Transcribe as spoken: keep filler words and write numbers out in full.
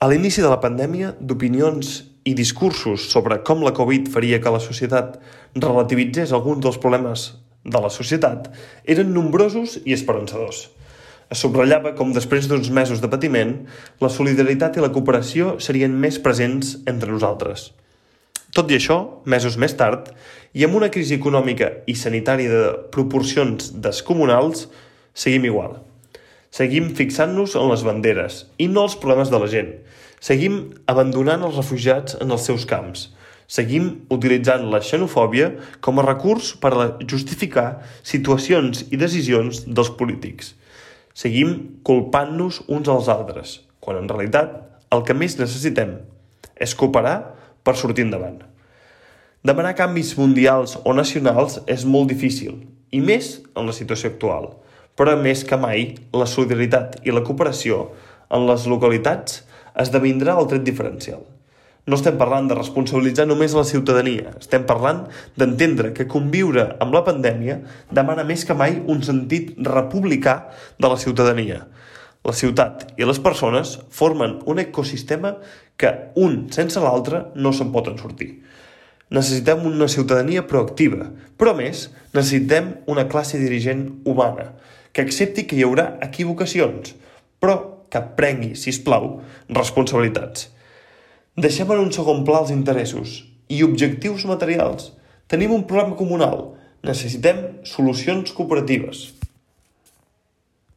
A l'inici de la pandèmia, d'opinions i discursos sobre com la Covid faria que la societat relativitzés alguns dels problemes de la societat eren nombrosos i esperançadors. Es subratllava com després d'uns mesos de patiment, la solidaritat i la cooperació serien més presents entre nosaltres. Tot i això, mesos més tard, i amb una crisi econòmica i sanitària de proporcions descomunals, seguim igual. Seguim fixant-nos en les banderes i no els problemes de la gent. Seguim abandonant els refugiats en els seus camps. Seguim utilitzant la xenofòbia com a recurs per a justificar situacions i decisions dels polítics. Seguim culpant-nos uns als altres, quan en realitat el que més necessitem és cooperar per sortir endavant. Demanar canvis mundials o nacionals és molt difícil, i més en la situació actual, però més que mai la solidaritat i la cooperació en les localitats esdevindrà el tret diferencial. No estem parlant de responsabilitzar només la ciutadania, estem parlant d'entendre que conviure amb la pandèmia demana més que mai un sentit republicà de la ciutadania. La ciutat i les persones formen un ecosistema que un sense l'altre no se'n poden sortir. Necessitem una ciutadania proactiva, però a més necessitem una classe dirigent humana, que accepti que hi haurà equivocacions, però que prengui, sisplau, responsabilitats. Deixem en un segon pla els interessos i objectius materials. Tenim un problema comunal. Necessitem solucions cooperatives.